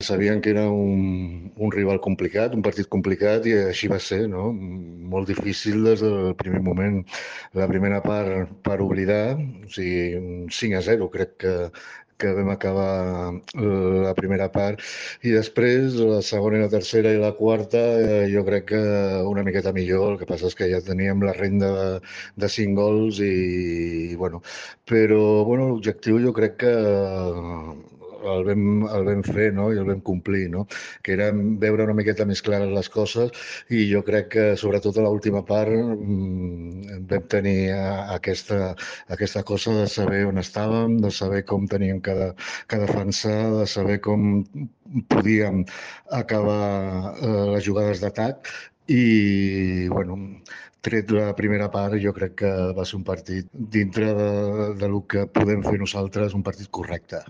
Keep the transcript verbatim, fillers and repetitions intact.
Sabien que era un, un rival complicat, un partit complicat, i així va ser, no? Molt difícil des del primer moment. La primera part per oblidar, o sigui, un cinc a zero crec que, que vam acabar la primera part, i després la segona i la tercera i la quarta eh, jo crec que una miqueta millor. El que passa és que ja teníem la renda de, de cinc gols i, i bueno, però bueno, l'objectiu jo crec que el vam, el vam fer, no? I el vam complir, no? Que era veure una miqueta més clares les coses, i jo crec que sobretot a l'última part mmm, vam tenir eh, aquesta, aquesta cosa de saber on estàvem, de saber com teníem que, de, que defensar, de saber com podíem acabar eh, les jugades d'atac. I bueno, tret la primera part, jo crec que va ser un partit dintre de, de lo que podem fer nosaltres, un partit correcte.